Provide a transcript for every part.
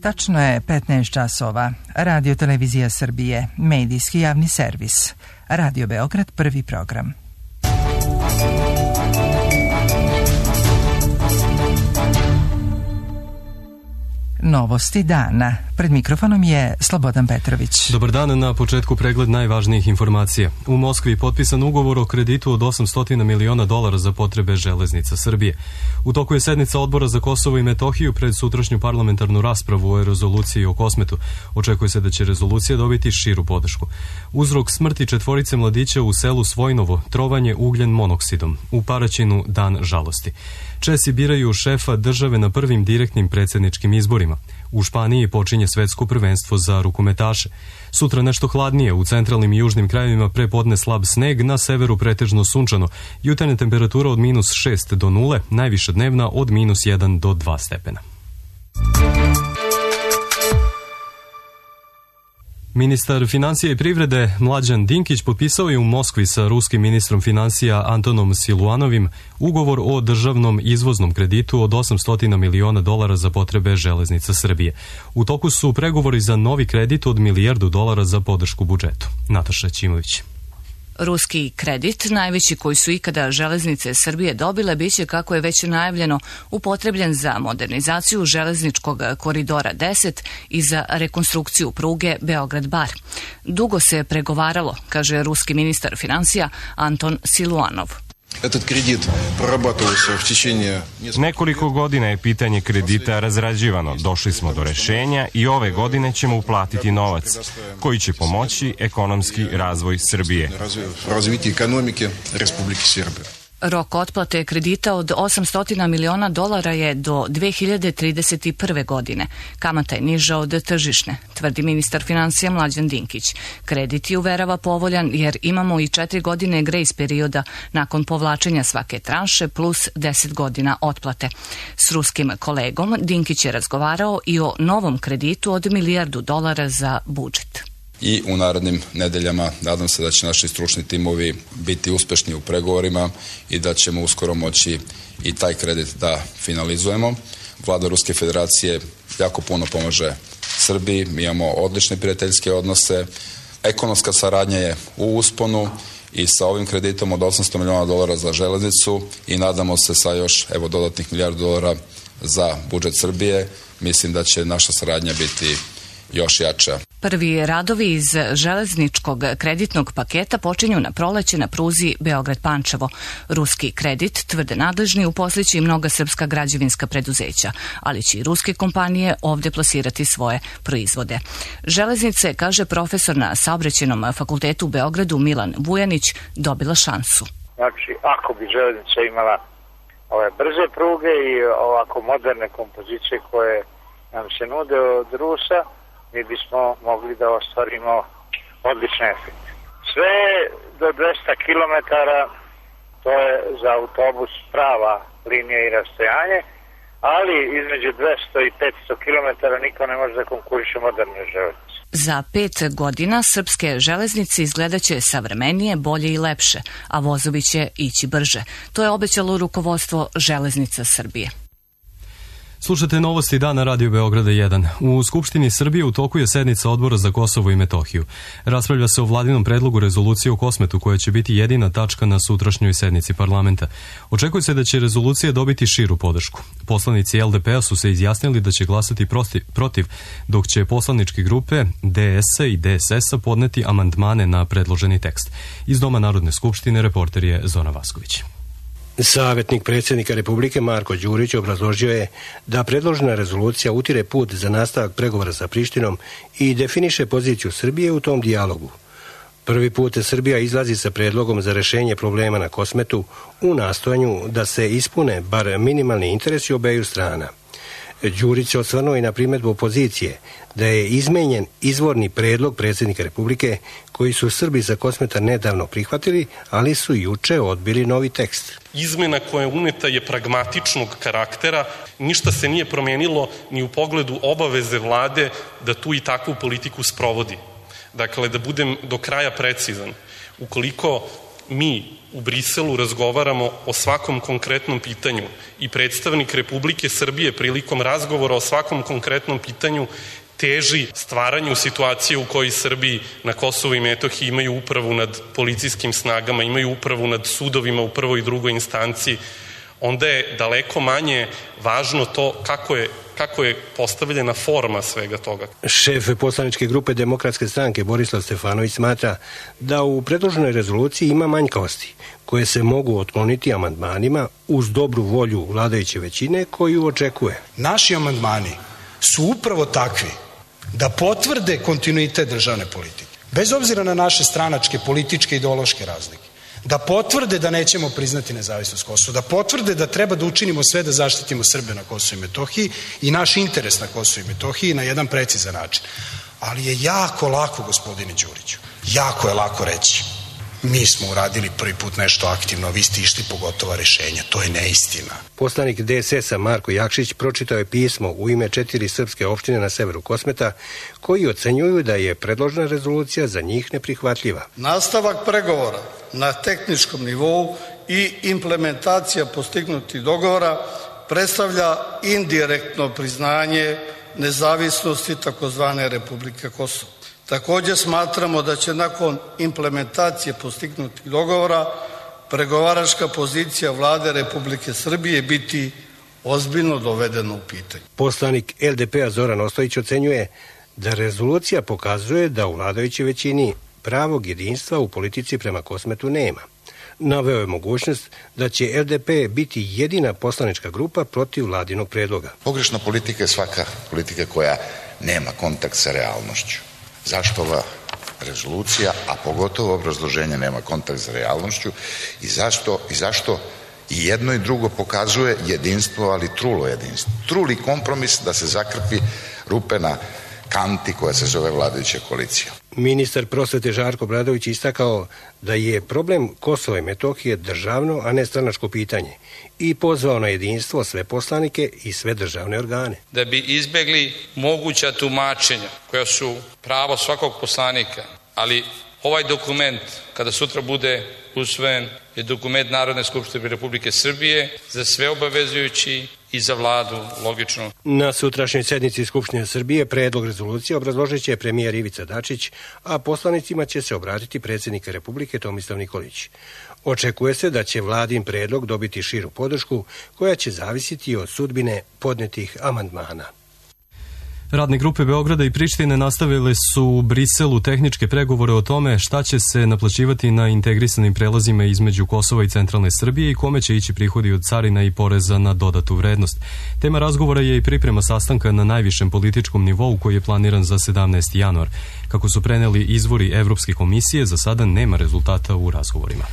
Tačno je 15 časova. Radio Televizija Srbije, medijski javni servis. Radio Beograd, prvi program. Novosti dana. Pred mikrofonom je Slobodan Petrović. Dobar dan, na početku pregled najvažnijih informacija. U Moskvi je potpisan ugovor o kreditu od $800 miliona za potrebe Železnica Srbije. U toku je sednica Odbora za Kosovo i Metohiju pred sutrašnju parlamentarnu raspravu o rezoluciji o Kosmetu. Očekuje se da će rezolucija dobiti širu podršku. Uzrok smrti 4 mladića u selu Svojnovo, trovanje ugljen monoksidom. U Paraćinu dan žalosti. Česi biraju šefa države na prvim direktnim predsjedničkim izborima. U Španiji počinje svetsko prvenstvo za rukometaše. Sutra nešto hladnije, u centralnim i južnim krajevima prepodne slab sneg, na severu pretežno sunčano. Jutarnja temperatura od -6 do 0, najviša dnevna od -1 do 2 stepena. Ministar financija i privrede Mlađan Dinkić potpisao je u Moskvi sa ruskim ministrom financija Antonom Siluanovim ugovor o državnom izvoznom kreditu od $800 miliona za potrebe Železnica Srbije. U toku su pregovori za novi kredit od $1 milijardu za podršku budžetu. Nataša Ćimović. Ruski kredit, najveći koji su ikada Železnice Srbije dobile, biće, kako je već najavljeno, upotrebljen za modernizaciju železničkog koridora 10 i za rekonstrukciju pruge Beograd-Bar. Dugo se pregovaralo, kaže ruski ministar financija Anton Siluanov. Nekoliko godina je pitanje kredita razrađivano. Došli smo do rešenja i ove godine ćemo uplatiti novac koji će pomoći ekonomski razvoj Srbije. Rok otplate kredita od $800 miliona je do 2031. godine. Kamata je niža od tržišne, tvrdi ministar financija Mlađan Dinkić. Kredit je, uverava, povoljan jer imamo i 4 godine grejs perioda nakon povlačenja svake tranše plus 10 godina otplate. S ruskim kolegom Dinkić je razgovarao i o novom kreditu od $1 milijardu za budžet. I u narednim nedeljama nadam se da će naši stručni timovi biti uspešni u pregovorima i da ćemo uskoro moći i taj kredit da finalizujemo. Vlada Ruske federacije jako puno pomaže Srbiji, mi imamo odlične prijateljske odnose, ekonomska saradnja je u usponu i sa ovim kreditom od $800 miliona za železnicu i nadamo se sa još dodatnih $1 milijardu za budžet Srbije, mislim da će naša saradnja biti još jača. Prvi radovi iz železničkog kreditnog paketa počinju na proleće na pruzi Beograd-Pančevo. Ruski kredit, tvrde nadležni, uposliće i mnoga srpska građevinska preduzeća, ali će i ruske kompanije ovdje plasirati svoje proizvode. Železnice, kaže profesor na Saobraćajnom fakultetu u Beogradu Milan Vujanić, dobila šansu. Znači, ako bi železnica imala ove brze pruge i ovako moderne kompozicije koje nam se nude od Rusa, mi bismo mogli da ostvarimo odlične efekte. Sve do 200 km, to je za autobus prava linija i rastojanje, ali između 200 i 500 km niko ne može da konkuriše moderne železnice. Za 5 godina srpske železnice izgledaće savremenije, bolje i lepše, a vozovi će ići brže. To je obećalo rukovodstvo Železnica Srbije. Slušate novosti dana Radio Beograda 1. U Skupštini Srbije u toku je sednica Odbora za Kosovo i Metohiju. Raspravlja se o vladinom predlogu rezolucije o Kosmetu, koja će biti jedina tačka na sutrašnjoj sednici parlamenta. Očekuje se da će rezolucija dobiti širu podršku. Poslanici LDP-a su se izjasnili da će glasati protiv, dok će poslaničke grupe DS-a i DSS-a podneti amandmane na predloženi tekst. Iz Doma Narodne skupštine reporter je Zona Vasković. Savjetnik predsjednika Republike Marko Đurić obrazložio je da predložena rezolucija utire put za nastavak pregovora sa Prištinom i definiše poziciju Srbije u tom dijalogu. Prvi put Srbija izlazi sa predlogom za rešenje problema na Kosmetu u nastojanju da se ispune bar minimalni interesi obeju strana. Đurić se osvrnuo i na primjedbu opozicije da je izmenjen izvorni predlog predsjednika Republike koji su Srbi sa Kosmeta nedavno prihvatili, ali su juče odbili novi tekst. Izmena koja je uneta je pragmatičnog karaktera, ništa se nije promenilo ni u pogledu obaveze vlade da tu i takvu politiku sprovodi. Dakle, da budem do kraja precizan, ukoliko mi u Briselu razgovaramo o svakom konkretnom pitanju i predstavnik Republike Srbije prilikom razgovora o svakom konkretnom pitanju teži stvaranju situacije u kojoj Srbiji na Kosovu i Metohiji imaju upravu nad policijskim snagama, imaju upravu nad sudovima u prvoj i drugoj instanciji, onda je daleko manje važno to kako je postavljena forma svega toga. Šef poslaničke grupe Demokratske stranke Borislav Stefanović smatra da u predloženoj rezoluciji ima manjkavosti koje se mogu otkloniti amandmanima uz dobru volju vladajuće većine koju očekuje. Naši amandmani su upravo takvi da potvrde kontinuitet državne politike, bez obzira na naše stranačke, političke, ideološke razlike, da potvrde da nećemo priznati nezavisnost Kosova, da potvrde da treba da učinimo sve da zaštitimo Srbe na Kosovu i Metohiji i naš interes na Kosovu i Metohiji na jedan precizan način. Ali je jako lako, gospodine Đuriću, jako je lako reći mi smo uradili prvi put nešto aktivno, vi ste išli po gotova rešenja. To je neistina. Poslanik DSS-a Marko Jakšić pročitao je pismo u ime 4 srpske opštine na severu Kosmeta koji ocenjuju da je predložena rezolucija za njih neprihvatljiva. Nastavak pregovora na tehničkom nivou i implementacija postignutih dogovora predstavlja indirektno priznanje nezavisnosti takozvane Republike Kosovo. Također smatramo da će nakon implementacije postignutih dogovora pregovaračka pozicija Vlade Republike Srbije biti ozbiljno dovedena u pitanje. Poslanik LDP-a Zoran Ostojić ocenjuje da rezolucija pokazuje da u vladajućoj većini pravog jedinstva u politici prema Kosmetu nema. Naveo je mogućnost da će LDP biti jedina poslanička grupa protiv vladinog predloga. Pogrešna politika je svaka politika koja nema kontakt sa realnošću. Zašto ova rezolucija, a pogotovo obrazloženje nema kontakt sa realnošću i zašto i jedno i drugo pokazuje jedinstvo, ali trulo jedinstvo. Truli kompromis da se zakrpi rupe na kanti koja se zove vladajuća koalicija. Ministar prosvete Žarko Obradović istakao da je problem Kosova i Metohije državno, a ne stranačko pitanje i pozvao na jedinstvo sve poslanike i sve državne organe. Da bi izbegli moguća tumačenja koja su pravo svakog poslanika, ali ovaj dokument kada sutra bude usvojen je dokument Narodne skupštine Republike Srbije za sve obavezujući i za vladu, logično. Na sutrašnjoj sednici Skupštine Srbije predlog rezolucije obrazložit će premijer Ivica Dačić, a poslanicima će se obratiti predsjednik Republike Tomislav Nikolić. Očekuje se da će vladin predlog dobiti širu podršku koja će zavisiti od sudbine podnetih amandmana. Radne grupe Beograda i Prištine nastavile su u Briselu tehničke pregovore o tome šta će se naplaćivati na integrisanim prelazima između Kosova i centralne Srbije i kome će ići prihodi od carina i poreza na dodatu vrednost. Tema razgovora je i priprema sastanka na najvišem političkom nivou koji je planiran za 17. januar. Kako su preneli izvori Evropske komisije, za sada nema rezultata u razgovorima.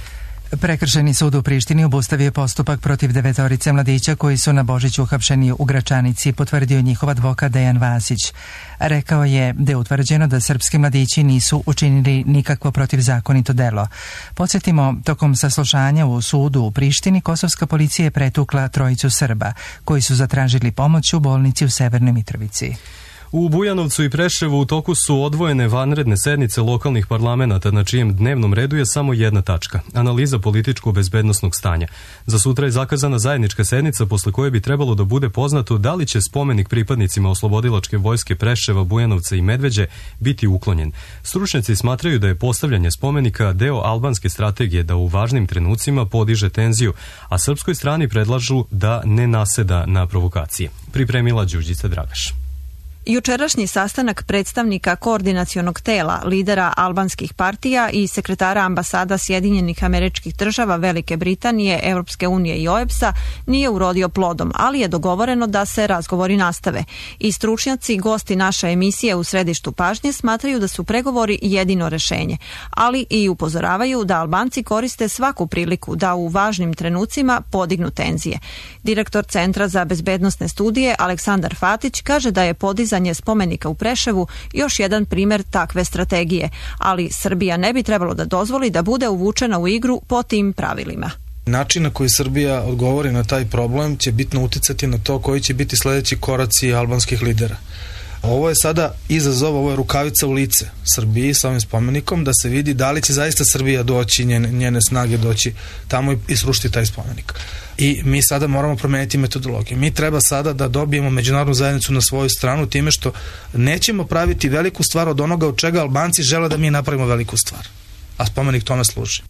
Prekršajni sud u Prištini obustavio postupak protiv 9 mladića koji su na Božić uhapšeni u Gračanici, potvrdio njihov advokat Dejan Vasić. Rekao je da je utvrđeno da srpski mladići nisu učinili nikakvo protivzakonito delo. Podsjetimo, tokom saslušanja u sudu u Prištini, kosovska policija je pretukla 3 Srba koji su zatražili pomoć u bolnici u Severnoj Mitrovici. U Bujanovcu i Preševu u toku su odvojene vanredne sednice lokalnih parlamenata na čijem dnevnom redu je samo jedna tačka – analiza političko-bezbednosnog stanja. Za sutra je zakazana zajednička sednica posle koje bi trebalo da bude poznato da li će spomenik pripadnicima oslobodilačke vojske Preševa, Bujanovca i Medveđe biti uklonjen. Stručnjaci smatraju da je postavljanje spomenika deo albanske strategije da u važnim trenucima podiže tenziju, a srpskoj strani predlažu da ne naseda na provokacije. Pripremila Đurđica Dragaš. Jučerašnji sastanak predstavnika koordinacionog tela, lidera albanskih partija i sekretara ambasada Sjedinjenih Američkih Država, Velike Britanije, Europske unije i OEBS-a nije urodio plodom, ali je dogovoreno da se razgovori nastave. I stručnjaci, gosti naše emisije u središtu pažnje, smatraju da su pregovori jedino rešenje, ali i upozoravaju da Albanci koriste svaku priliku da u važnim trenucima podignu tenzije. Direktor Centra za bezbednosne studije Aleksandar Fatić kaže da je podizanje spomenika u Preševu još jedan primjer takve strategije, ali Srbija ne bi trebalo da dozvoli da bude uvučena u igru po tim pravilima. Način na koji Srbija odgovori na taj problem će bitno uticati na to koji će biti sljedeći koraci albanskih lidera. Ovo je sada izazov, ovo je rukavica u lice Srbiji sa ovim spomenikom, da se vidi da li će zaista Srbija doći, njene snage doći tamo i srušiti taj spomenik. I mi sada moramo promeniti metodologiju. Mi treba sada da dobijemo međunarodnu zajednicu na svoju stranu time što nećemo praviti veliku stvar od onoga od čega Albanci žele da mi napravimo veliku stvar. A spomenik tome služi.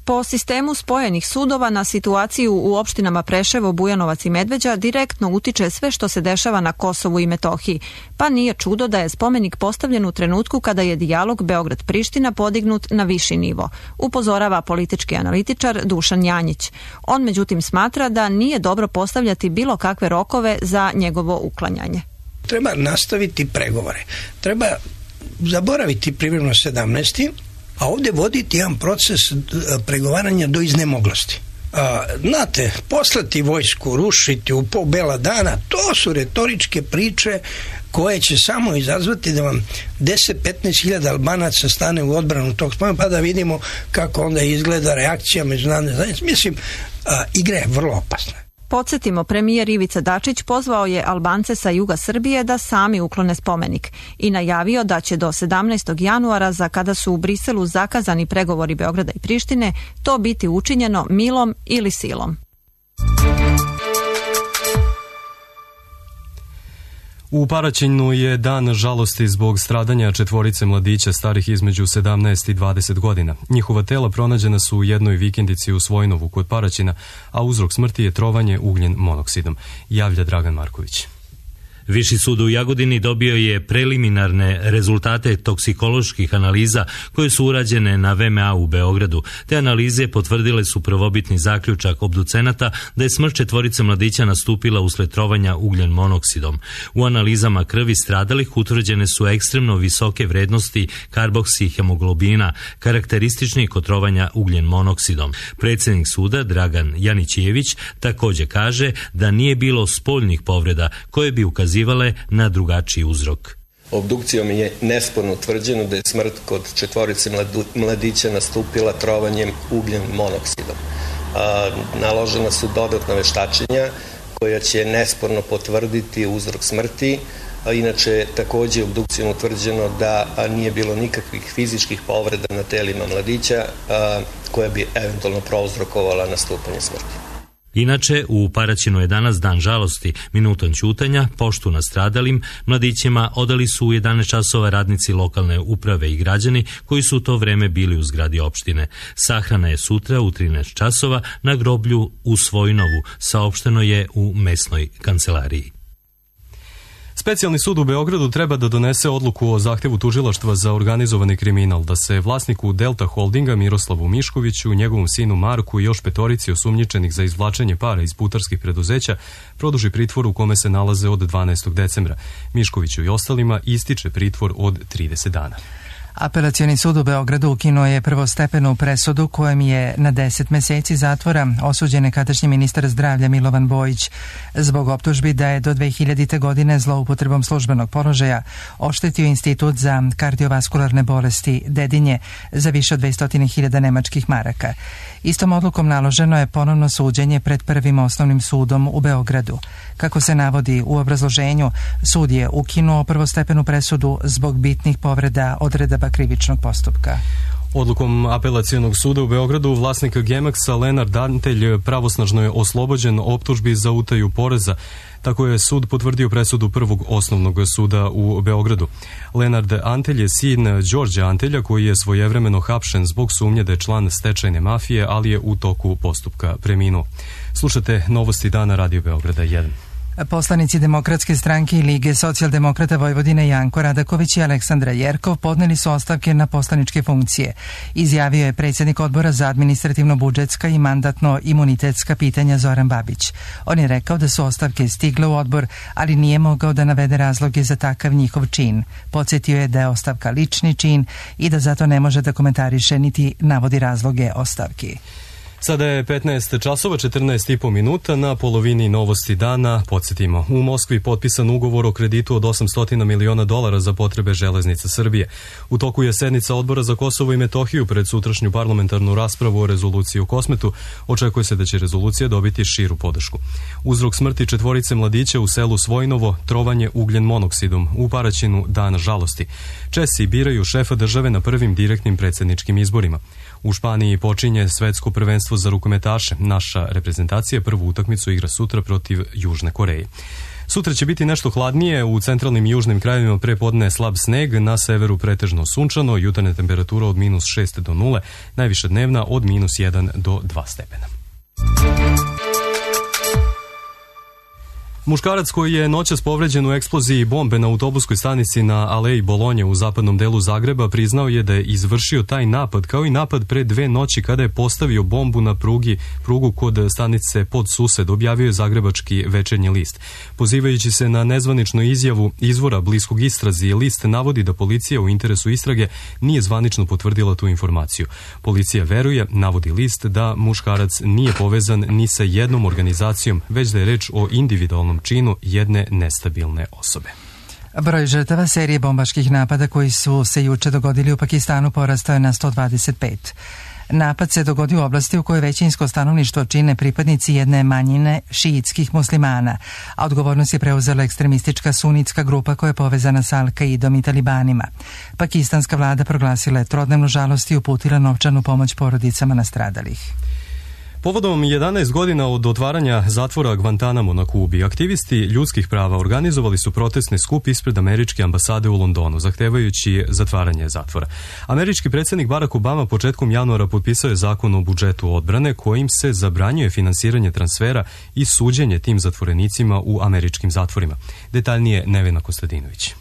Po sistemu spojenih sudova na situaciju u opštinama Preševo, Bujanovac i Medveđa direktno utiče sve što se dešava na Kosovu i Metohiji, pa nije čudo da je spomenik postavljen u trenutku kada je dijalog Beograd-Priština podignut na viši nivo, upozorava politički analitičar Dušan Janjić. On međutim smatra da nije dobro postavljati bilo kakve rokove za njegovo uklanjanje. Treba nastaviti pregovore. Treba zaboraviti privremeno 17. a ovdje voditi jedan proces pregovaranja do iznemoglosti. Znate, poslati vojsku, rušiti u pol bela dana, to su retoričke priče koje će samo izazvati da vam 10-15 hiljada Albanaca stane u odbranu tog spomenika, pa da vidimo kako onda izgleda reakcija međunarodne zajednice. Mislim, igra je vrlo opasna. Podsjetimo, premijer Ivica Dačić pozvao je Albance sa juga Srbije da sami uklone spomenik i najavio da će do 17. januara, za kada su u Briselu zakazani pregovori Beograda i Prištine, to biti učinjeno milom ili silom. U Paraćinu je dan žalosti zbog stradanja 4 mladića starih između 17 i 20 godina. Njihova tela pronađena su u jednoj vikendici u Svojnovu kod Paraćina, a uzrok smrti je trovanje ugljen monoksidom, javlja Dragan Marković. Viši sud u Jagodini dobio je preliminarne rezultate toksikoloških analiza koje su urađene na VMA u Beogradu. Te analize potvrdile su prvobitni zaključak obducenata da je smrt 4 mladića nastupila usled trovanja ugljen monoksidom. U analizama krvi stradalih utvrđene su ekstremno visoke vrednosti karboksihemoglobina, karakteristični kod trovanja ugljen monoksidom. Predsjednik suda Dragan Janićević također kaže da nije bilo spoljnih povreda koje bi ukazivale na drugačiji uzrok. Obdukcijom je nesporno utvrđeno da je smrt kod 4 mladića nastupila trovanjem ugljen monoksidom. Naložena su dodatna veštačenja koja će nesporno potvrditi uzrok smrti. Inače, također je obdukcijom utvrđeno da nije bilo nikakvih fizičkih povreda na telima mladića koja bi eventualno prouzrokovala nastupanje smrti. Inače, u Paraćinu je danas dan žalosti. Minutom ćutanja, poštu nastradalim mladićima odali su u 11 časova radnici lokalne uprave i građani koji su u to vreme bili u zgradi opštine. Sahrana je sutra u 13 časova na groblju u Svojnovu, saopšteno je u mesnoj kancelariji. Specijalni sud u Beogradu treba da donese odluku o zahtevu tužilaštva za organizovani kriminal da se vlasniku Delta Holdinga Miroslavu Miškoviću, njegovom sinu Marku i još 5 osumnjičenih za izvlačenje para iz putarskih preduzeća produži pritvor u kome se nalaze od 12. decembra. Miškoviću i ostalima ističe pritvor od 30 dana. Apelacioni sud u Beogradu ukinuo je prvostepenu presudu kojem je na 10 meseci zatvora osuđen nekadašnji ministar zdravlja Milovan Bojić zbog optužbi da je do 2000. godine zloupotrebom službenog položaja oštetio Institut za kardiovaskularne bolesti Dedinje za više od 200.000 nemačkih maraka. Istom odlukom naloženo je ponovno suđenje pred Prvim osnovnim sudom u Beogradu. Kako se navodi u obrazloženju, sud je ukinuo prvostepenu presudu zbog bitnih povreda odredaba krivičnog postupka. Odlukom apelacionog suda u Beogradu vlasnik Gemaxa Lenard Antelj pravosnažno je oslobođen optužbi za utaju poreza. Tako je sud potvrdio presudu Prvog osnovnog suda u Beogradu. Lenard Antelj je sin Đorđa Antelja koji je svojevremeno hapšen zbog sumnje da je član stečajne mafije, ali je u toku postupka preminuo. Slušate Novosti dana Radio Beograda 1. Poslanici Demokratske stranke i Lige socijaldemokrata Vojvodine Janko Radaković i Aleksandra Jerkov podneli su ostavke na poslaničke funkcije. Izjavio je predsjednik odbora za administrativno-budžetska i mandatno-imunitetska pitanja Zoran Babić. On je rekao da su ostavke stigle u odbor, ali nije mogao da navede razloge za takav njihov čin. Podsjetio je da je ostavka lični čin i da zato ne može da komentariše niti navodi razloge ostavki. Sada je 15 časova, 14,5 minuta, na polovini novosti dana. Podsjetimo, u Moskvi potpisan ugovor o kreditu od 800 miliona dolara za potrebe železnica Srbije. U toku je sednica Odbora za Kosovo i Metohiju pred sutrašnju parlamentarnu raspravu o rezoluciji o Kosmetu. Očekuje se da će rezolucija dobiti širu podršku. Uzrok smrti 4 mladića u selu Svojnovo, trovanje ugljen monoksidom, u Paraćinu dan žalosti. Česi biraju šefa države na prvim direktnim predsjedničkim izborima. U Španiji počinje svetsko prvenstvo za rukometaše. Naša reprezentacija prvu utakmicu igra sutra protiv Južne Koreje. Sutra će biti nešto hladnije, u centralnim i južnim krajevima prepodne slab sneg, na severu pretežno sunčano, jutarnja temperatura od -6 do 0, najviša dnevna od -1 do 2 stepena. Muškarac koji je noćas povređen u eksploziji bombe na autobuskoj stanici na Aleji Bolonje u zapadnom delu Zagreba priznao je da je izvršio taj napad, kao i napad pre 2 noći kada je postavio bombu na prugu kod stanice Podsused, objavio je Zagrebački večernji list. Pozivajući se na nezvaničnu izjavu izvora bliskog istrazi, list navodi da policija u interesu istrage nije zvanično potvrdila tu informaciju. Policija veruje, navodi list, da muškarac nije povezan ni sa jednom organizacijom, već da je reč o individualnom činu jedne nestabilne osobe. Broj žrtava serije bombaških napada koji su se juče dogodili u Pakistanu porastao je na 125. Napad se dogodio u oblasti u kojoj većinsko stanovništvo čine pripadnici jedne manjine šiitskih muslimana, a odgovornost je preuzela ekstremistička sunitska grupa koja je povezana sa Al-Kaidom i talibanima. Pakistanska vlada proglasila je 3-dnevnu žalost i uputila novčanu pomoć porodicama nastradalih. Povodom 11 godina od otvaranja zatvora Guantanamo na Kubi, aktivisti ljudskih prava organizovali su protestni skup ispred američke ambasade u Londonu, zahtevajući zatvaranje zatvora. Američki predsjednik Barack Obama početkom januara potpisao je zakon o budžetu odbrane kojim se zabranjuje finansiranje transfera i suđenje tim zatvorenicima u američkim zatvorima. Detaljnije Nevena Kostadinović.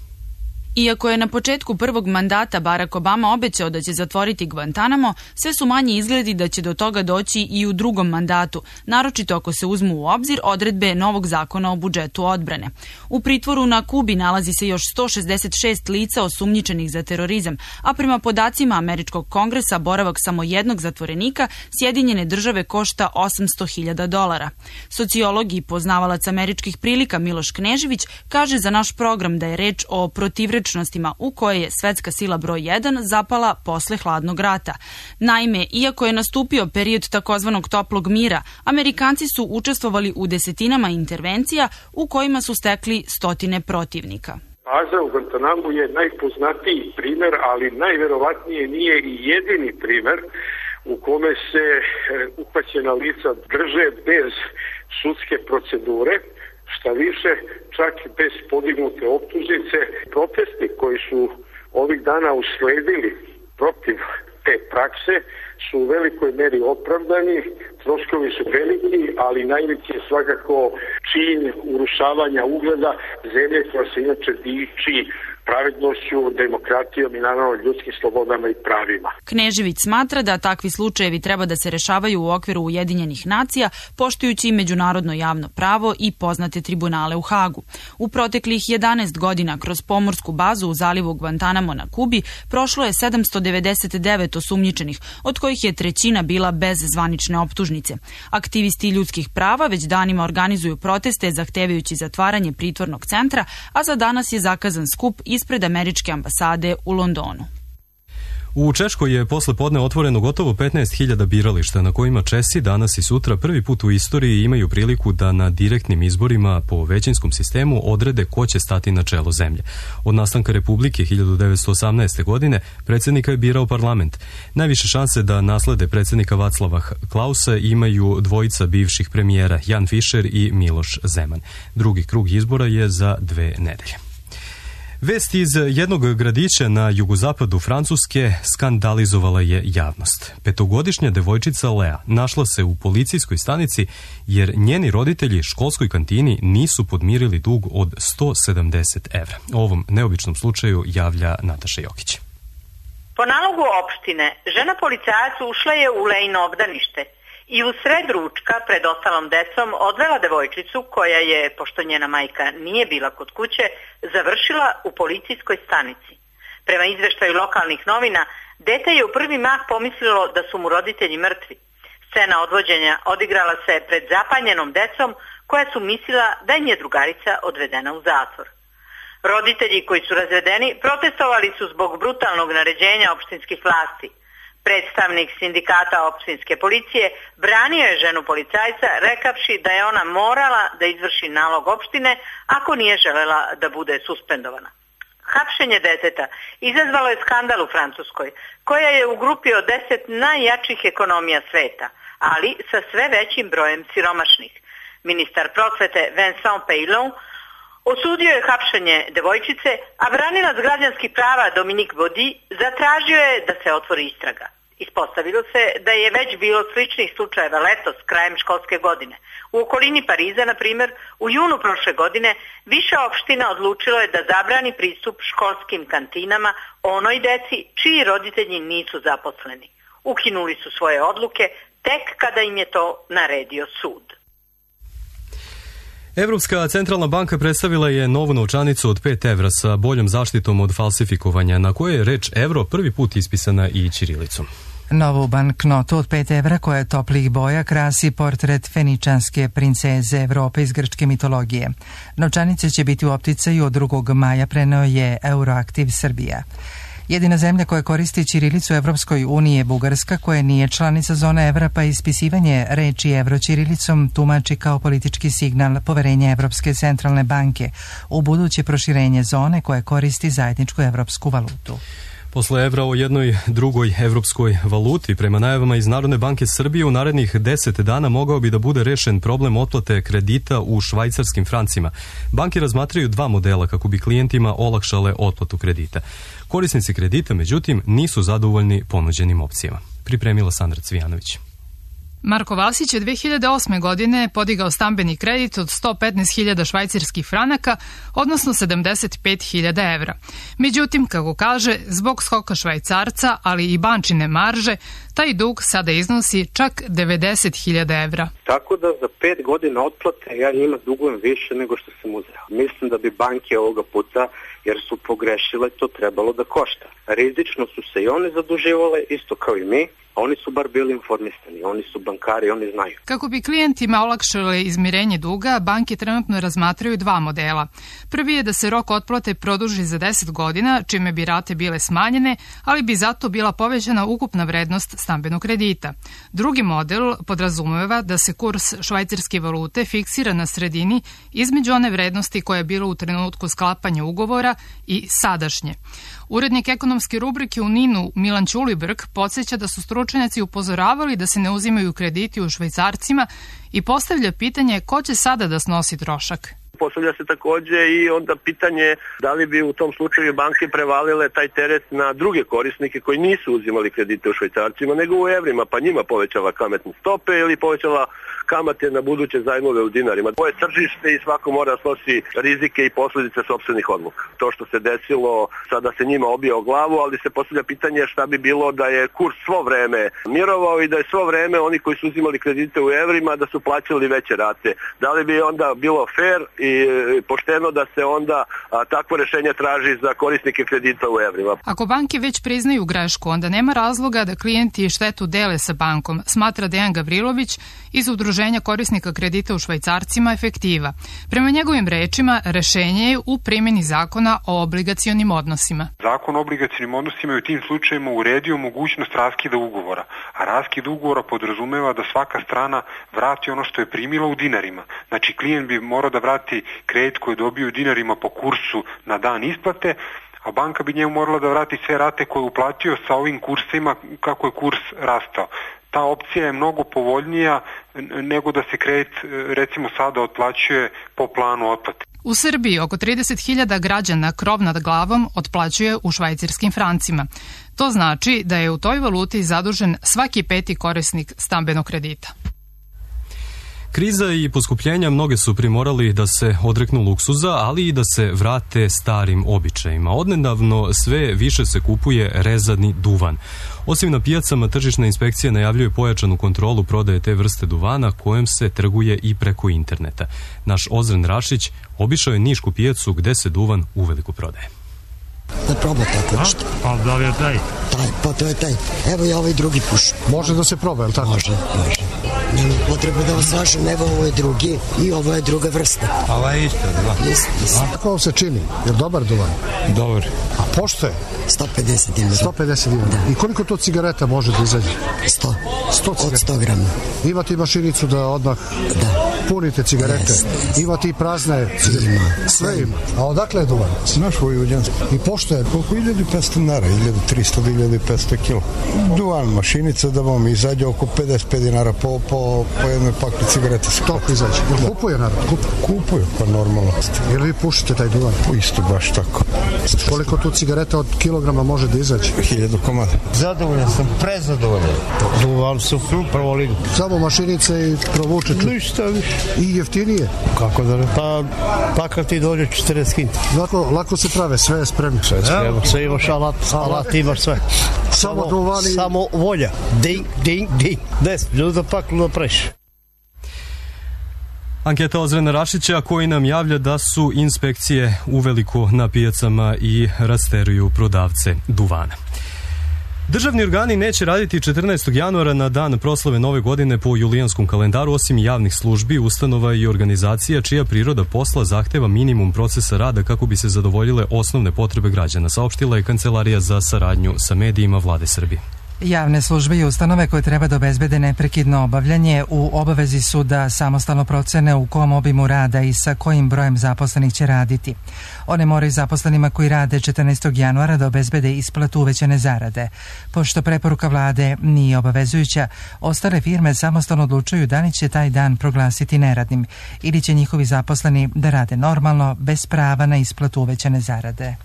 Iako je na početku prvog mandata Barack Obama obećao da će zatvoriti Guantanamo, sve su manji izgledi da će do toga doći i u drugom mandatu, naročito ako se uzmu u obzir odredbe novog zakona o budžetu odbrane. U pritvoru na Kubi nalazi se još 166 lica osumnjičenih za terorizam, a prema podacima Američkog kongresa boravak samo jednog zatvorenika Sjedinjene države košta $800.000. Sociolog i poznavalac američkih prilika Miloš Knežević kaže za naš program da je reč o protivrečnostima u koje je svetska sila broj 1 zapala posle hladnog rata. Naime, iako je nastupio period takozvanog toplog mira, Amerikanci su učestvovali u desetinama intervencija u kojima su stekli stotine protivnika. Baza u Guantanamu je najpoznatiji primer, ali najverovatnije nije i jedini primer u kome se uhvaćena lica drže bez sudske procedure. Šta više, čak bez podignute optužnice. Protesti koji su ovih dana usledili protiv te prakse su u velikoj meri opravdani, troškovi su veliki, ali najveći je svakako čin urušavanja ugleda zemlje koja se inače diči pravednošću, demokratijom i naravno ljudskim slobodama i pravima. Knežević smatra da takvi slučajevi treba da se rešavaju u okviru Ujedinjenih nacija, poštujući međunarodno javno pravo i poznate tribunale u Hagu. U proteklih 11 godina kroz pomorsku bazu u zalivu Guantanamo na Kubi prošlo je 799 osumnjičenih, od kojih je 1/3 bila bez zvanične optužnice. Aktivisti ljudskih prava već danima organizuju proteste zahtevajući zatvaranje pritvornog centra, a za danas je zakazan skup ispred američke ambasade u Londonu. U Češkoj je posle podne otvoreno gotovo 15.000 birališta na kojima Česi danas i sutra prvi put u istoriji imaju priliku da na direktnim izborima po većinskom sistemu odrede ko će stati na čelo zemlje. Od nastanka Republike 1918. godine predsjednika je birao parlament. Najviše šanse da naslede predsjednika Václava Klausa imaju dvojica bivših premijera Jan Fischer i Miloš Zeman. Drugi krug izbora je za 2 nedelje. Vest iz jednog gradića na jugozapadu Francuske skandalizovala je javnost. 5-godišnja devojčica Lea našla se u policijskoj stanici jer njeni roditelji školskoj kantini nisu podmirili dug od 170 evra. O ovom neobičnom slučaju javlja Nataša Jokić. Po nalogu opštine, žena policajac ušla je u Leino obdanište i u sred ručka pred ostalom decom odvela devojčicu koja je, pošto njena majka nije bila kod kuće, završila u policijskoj stanici. Prema izveštaju lokalnih novina, dete je u prvi mah pomislilo da su mu roditelji mrtvi. Scena odvođenja odigrala se pred zapanjenom decom koja su mislila da im je drugarica odvedena u zatvor. Roditelji koji su razvedeni protestovali su zbog brutalnog naređenja opštinskih vlasti. Predstavnik sindikata opštinske policije branio je ženu policajca rekavši da je ona morala da izvrši nalog opštine ako nije želela da bude suspendovana. Hapšenje deteta izazvalo je skandal u Francuskoj, koja je u grupi od 10 najjačih ekonomija sveta, ali sa sve većim brojem siromašnih. Ministar prosvete Vincent Peillon osudio je hapšenje devojčice, a branilac građanskih prava Dominique Baudy zatražio je da se otvori istraga. Ispostavilo se da je već bilo sličnih slučajeva letos, krajem školske godine. U okolini Pariza, na primjer, u junu prošle godine više opština odlučilo je da zabrani pristup školskim kantinama onoj deci čiji roditelji nisu zaposleni. Ukinuli su svoje odluke tek kada im je to naredio sud. Evropska centralna banka predstavila je novu novčanicu od 5 evra sa boljom zaštitom od falsifikovanja, na kojoj je reč evro prvi put ispisana i ćirilicom. Novu banknotu od 5 evra koja je toplih boja krasi portret feničanske princeze Evrope iz grčke mitologije. Novčanice će biti u opticaju od 2. maja, preneo je Euroaktiv Srbija. Jedina zemlja koja koristi ćirilicu u Evropskoj uniji je Bugarska, koja nije članica zone evra, pa ispisivanje reči evro ćirilicom tumači kao politički signal poverenja Evropske centralne banke u buduće proširenje zone koja koristi zajedničku evropsku valutu. Posle evra o jednoj drugoj evropskoj valuti, prema najavama iz Narodne banke Srbije, u narednih 10 dana mogao bi da bude rešen problem otplate kredita u švajcarskim francima. Banke razmatraju 2 modela kako bi klijentima olakšale otplatu kredita. Korisnici kredita, međutim, nisu zadovoljni ponuđenim opcijama. Pripremila Sandra Cvijanović. Marko Vasić je 2008. godine podigao stambeni kredit od 115.000 švajcarskih franaka, odnosno 75.000 evra. Međutim, kako kaže, zbog skoka švajcarca, ali i bančine marže, taj dug sada iznosi čak 90.000 evra. Tako da za 5 godina otplate ja njima dugujem više nego što sam uzeo. Mislim da bi banke ovoga puta, jer su pogrešile, to trebalo da košta. Rizično su se i one zaduživale, isto kao i mi, a oni su bar bili informisani, oni su bankari, oni znaju. Kako bi klijentima olakšale izmirenje duga, banke trenutno razmatraju 2 modela. Prvi je da se rok otplate produži za 10 godina, čime bi rate bile smanjene, ali bi zato bila povećana ukupna vrednost stambenog kredita. Drugi model podrazumeva da se kurs švajcarske valute fiksira na sredini između one vrednosti koja je bila u trenutku sklapanja ugovora i sadašnje. Urednik ekonomske rubrike u NIN-u Milan Ćulibrk podsjeća da su stručnjaci upozoravali da se ne uzimaju krediti u švajcarcima i postavlja pitanje ko će sada da snosi trošak. Postavlja se takođe i onda pitanje da li bi u tom slučaju banke prevalile taj teret na druge korisnike koji nisu uzimali kredite u švajcarcima nego u evrima, pa njima povećala kamatne stope ili povećala kamate na buduće zajmove u dinarima. Ovo je tržište i svako mora da snosi rizike i posledice sopstvenih odluka. To što se desilo sada se njima obija o glavu, ali se postavlja pitanje šta bi bilo da je kurs svo vreme mirovao i da je svo vreme oni koji su uzimali kredite u evrima da su plaćali veće rate. Da li bi onda bilo fair i pošteno da se onda takvo rešenje traži za korisnike kredita u evrima? Ako banke već priznaju grešku, onda nema razloga da klijenti štetu dele sa bankom, smatra Dejan Gavrilović iz Udruženja korisnika kredita u švajcarcima Efektiva. Prema njegovim rečima, rešenje je u primjeni zakona o obligacionim odnosima. Zakon o obligacionim odnosima je u tim slučajima uredio mogućnost raskida ugovora, a raskid ugovora podrazumeva da svaka strana vrati ono što je primila u dinarima. Znači, klijent bi morao da vrati kredit koji je dobio u dinarima po kursu na dan isplate, a banka bi njemu morala da vrati sve rate koje je uplatio sa ovim kursima kako je kurs rastao. Ta opcija je mnogo povoljnija nego da se kredit recimo sada otplaćuje po planu otplate. U Srbiji oko 30.000 građana krov nad glavom otplaćuje u švajcarskim francima. To znači da je u toj valuti zadužen svaki 5. korisnik stambenog kredita. Kriza i poskupljenja mnoge su primorali da se odreknu luksuza, ali i da se vrate starim običajima. Odnedavno sve više se kupuje rezani duvan. Osim na pijacama, tržišna inspekcija najavljuje pojačanu kontrolu prodaje te vrste duvana kojem se trguje i preko interneta. Naš Ozren Rašić obišao je nišku pijacu gde se duvan uveliko prodaje. Da proba tako nešto. A da li je taj? Taj, pa to je taj. Evo ja ovaj drugi puš. Može da se proba, je li tako? Može. Nema potrebe da vas lažem, evo ovo je drugi i ovo je druga vrsta. Ova je isto, da. Isto. Kako vam se čini? Je li dobar duvan? Dobar. A pošto je? 150 dinara. 150 dinara. Da. I koliko to cigareta može da izađe? 100. 100 od 100 grama. Imate i mašinicu da odmah punite cigarete? Yes. Imate i prazne cigarete? Ima. Sve ima. A odakle je duvan? Naš Vojvođanski. I pošto je? Koliko 1500 dinara? 1300 do 1500 kilo. Duvan, mašinica da vam izađe oko 55 dinara po jednoj pakli cigarete. Toliko izađe. Kupuje narod? Kupuju, pa normalno. Jel vi pušite taj duvan? Isto, baš tako. Koliko tu cigareta od kilograma može da izađe? 1000 komada. Zadovoljan sam, prezadovoljan. Duvan su prvo ligu. Samo mašinice i provučeću. Ništa više. I jeftinije? Kako da ne? Pa kad ti dođe 40 kinta. Lako se prave, sve je spremno. Sve je spremno. Sve imaš alat imaš sve. Samo duvani. Samo volja. Ding, ding, ding. 10 minuta paklu da preši. Anketa Ozrena Rašića koji nam javlja da su inspekcije uveliko na pijacama i rasteruju prodavce duvana. Državni organi neće raditi 14. januara na dan proslave Nove godine po julijanskom kalendaru, osim javnih službi, ustanova i organizacija čija priroda posla zahteva minimum procesa rada kako bi se zadovoljile osnovne potrebe građana, saopštila je Kancelarija za saradnju sa medijima Vlade Srbije. Javne službe i ustanove koje treba da obezbede neprekidno obavljanje u obavezi su da samostalno procene u kom obimu rada i sa kojim brojem zaposlenih će raditi. One moraju zaposlenima koji rade 14. januara da obezbede isplatu uvećane zarade. Pošto preporuka vlade nije obavezujuća, ostale firme samostalno odlučuju da li će taj dan proglasiti neradnim ili će njihovi zaposleni da rade normalno bez prava na isplatu uvećane zarade.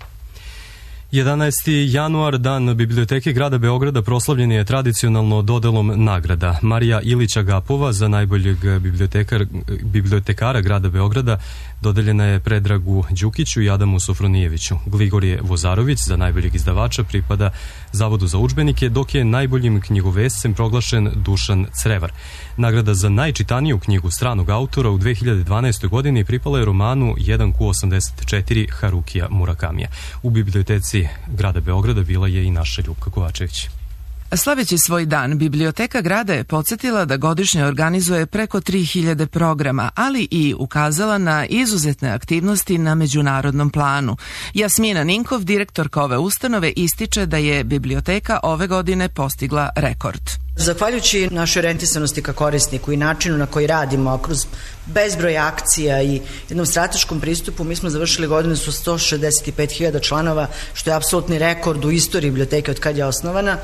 11. januar, dan Biblioteke grada Beograda, proslavljen je tradicionalno dodelom nagrada. Marija Ilića Gapova za najboljeg bibliotekara grada Beograda dodeljena je Predragu Đukiću i Adamu Sofronijeviću. Gligorije Vozarović za najboljeg izdavača pripada Zavodu za udžbenike, dok je najboljim knjigovescem proglašen Dušan Crevar. Nagrada za najčitaniju knjigu stranog autora u 2012. godini pripala je romanu 1Q84 Harukija Murakamija. U biblioteci grada Beograda bila je i naša Ljupka Kovačević. Slaveći svoj dan, Biblioteka grada je podsjetila da godišnje organizuje preko 3000 programa, ali i ukazala na izuzetne aktivnosti na međunarodnom planu. Jasmina Ninkov, direktorka ove ustanove, ističe da je biblioteka ove godine postigla rekord. Zahvaljujući našoj orijentisanosti ka korisniku i načinu na koji radimo, kroz bezbroj akcija i jednom strateškom pristupu, mi smo završili godinu su 165.000 članova, što je apsolutni rekord u istoriji biblioteke od kad je osnovana.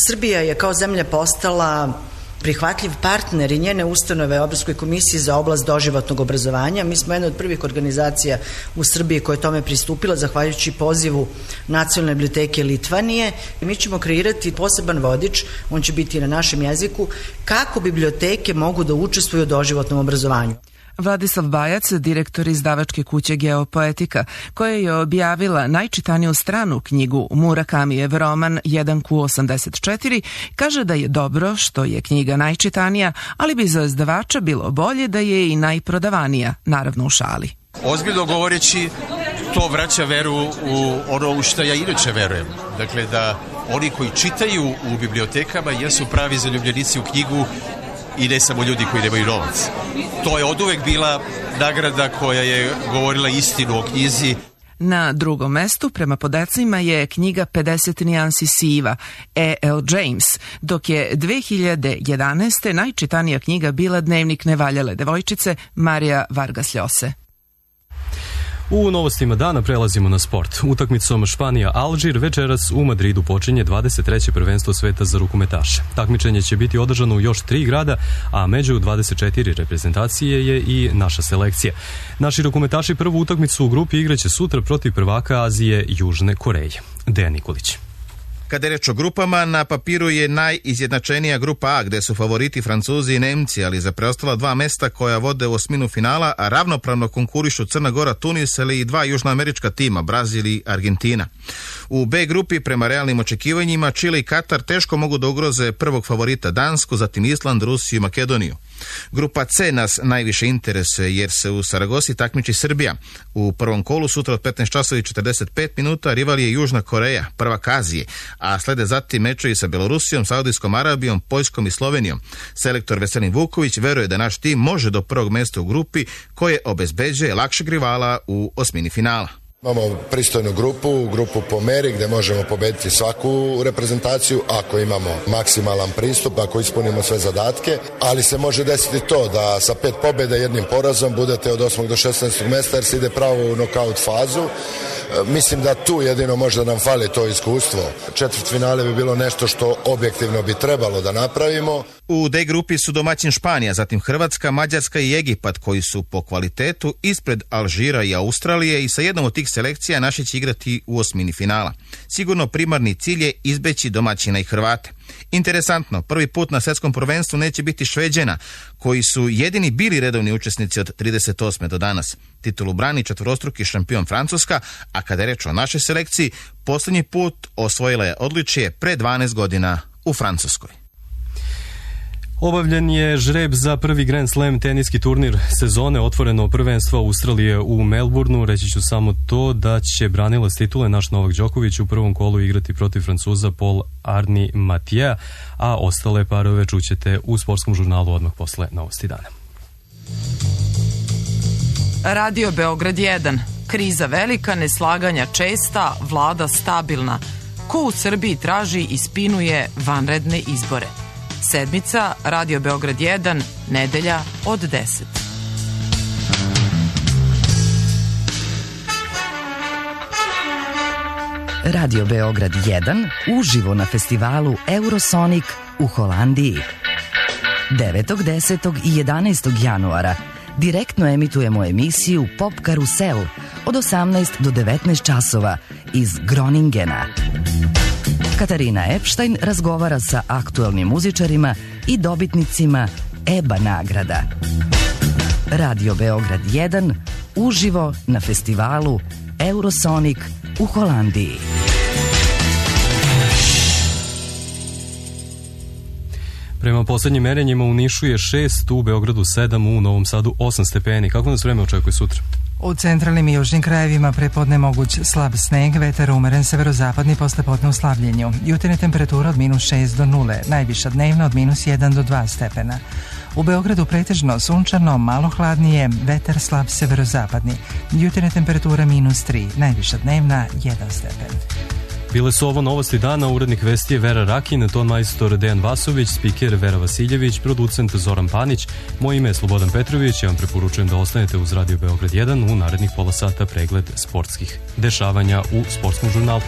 Srbija je kao zemlja postala prihvatljiv partner i njene ustanove Evropskoj komisiji za oblast doživotnog obrazovanja. Mi smo jedna od prvih organizacija u Srbiji koja je tome pristupila zahvaljujući pozivu Nacionalne biblioteke Litvanije. Mi ćemo kreirati poseban vodič, on će biti na našem jeziku, kako biblioteke mogu da učestvuju u doživotnom obrazovanju. Vladislav Bajac, direktor izdavačke kuće Geopoetika, koja je objavila najčitaniju stranu knjigu Murakamijev roman 1Q84, kaže da je dobro što je knjiga najčitanija, ali bi za izdavača bilo bolje da je i najprodavanija, naravno u šali. Ozbiljno govoreći, to vraća veru u ono u što ja inače verujem. Dakle, da oni koji čitaju u bibliotekama jesu pravi zaljubljenici u knjigu i ne samo ljudi koji nemaju novac. To je oduvek bila nagrada koja je govorila istinu o knjizi. Na drugom mestu, prema podacima, je knjiga 50 nijansi siva, E.L. James, dok je 2011. najčitanija knjiga bila Dnevnik nevaljale devojčice Marija Vargas Ljose. U novostima dana prelazimo na sport. Utakmicom Španija-Alžir večeras u Madridu počinje 23. prvenstvo sveta za rukometaše. Takmičenje će biti održano u još 3 grada, a među 24 reprezentacije je i naša selekcija. Naši rukometaši prvu utakmicu u grupi igraće sutra protiv prvaka Azije Južne Koreje. Dejan Nikolić. Kada je reč o grupama, na papiru je najizjednačenija grupa A, gde su favoriti Francuzi i Nemci, ali za preostala 2 mesta koja vode u osminu finala, a ravnopravno konkurišu Crna Gora, Tunis, ali i 2 južnoamerička tima, Brazil i Argentina. U B grupi, prema realnim očekivanjima, Čile i Katar teško mogu da ugroze prvog favorita Dansku, zatim Island, Rusiju i Makedoniju. Grupa C nas najviše interesuje jer se u Saragosi takmiči Srbija. U prvom kolu sutra od 15 časova i 45 minuta rival je Južna Koreja, prvak Azije, a slede zatim mečevi sa Belorusijom, Saudijskom Arabijom, Poljskom i Slovenijom. Selektor Veselin Vuković veruje da naš tim može do prvog mjesta u grupi koje obezbeđuje lakšeg rivala u osmini finala. Imamo pristojnu grupu po meri gdje možemo pobediti svaku reprezentaciju ako imamo maksimalan pristup, ako ispunimo sve zadatke, ali se može desiti to da sa 5 pobjeda i 1 porazom budete od 8. do 16. mjesta jer se ide pravo u nokaut fazu. Mislim da tu jedino možda nam fali to iskustvo. Četvrtfinale bi bilo nešto što objektivno bi trebalo da napravimo. U D grupi su domaćin Španija, zatim Hrvatska, Mađarska i Egipat koji su po kvalitetu ispred Alžira i Australije i sa jednom od tih selekcija naši će igrati u osmini finala. Sigurno primarni cilj je izbeći domaćina i Hrvate. Interesantno, prvi put na svjetskom prvenstvu neće biti Šveđana, koji su jedini bili redovni učesnici od 38. do danas. Titulu brani četvorostruki šampion Francuska, a kada je reč o našoj selekciji, posljednji put osvojila je odličje pre 12 godina u Francuskoj. Obavljen je žreb za prvi Grand Slam teniski turnir sezone, otvoreno prvenstvo Australije u Melbourneu. Reći ću samo to da će branilac titule naš Novak Đoković u prvom kolu igrati protiv Francuza Paul Arni Matija, a ostale parove čućete u sportskom žurnalu odmah posle novosti dana. Radio Beograd 1. Kriza velika, neslaganja česta, vlada stabilna. Ko u Srbiji traži i spinuje vanredne izbore? Sedmica, Radio Beograd 1, nedelja od 10. Radio Beograd 1 uživo na festivalu Eurosonic u Holandiji. 9., 10. i 11. januara direktno emitujemo emisiju Pop Karusel od 18 do 19 časova iz Groningena. Katarina Epstein razgovara sa aktuelnim muzičarima i dobitnicima EBA nagrada. Radio Beograd 1 uživo na festivalu Eurosonic u Holandiji. Prema posljednjim merenjima u Nišu je 6, u Beogradu 7, u Novom Sadu 8 stepeni. Kako nas vreme očekuje sutra? U centralnim i južnim krajevima prepodne moguć slab sneg, vetar umeren severozapadni, poslepodne u slabljenju. Jutarnja temperatura od -6 do 0, najviša dnevna od -1 do 2 stepena. U Beogradu pretežno sunčano, malo hladnije, vetar slab severozapadni. Jutarnja temperatura -3, najviša dnevna 1 stepen. Bile su ovo novosti dana, urednik vesti je Vera Rakin, ton majstor Dejan Vasović, spiker Vera Vasiljević, producent Zoran Panić, moje ime je Slobodan Petrović, ja vam preporučujem da ostanete uz Radio Beograd 1 u narednih pola sata pregled sportskih dešavanja u sportskom žurnalu.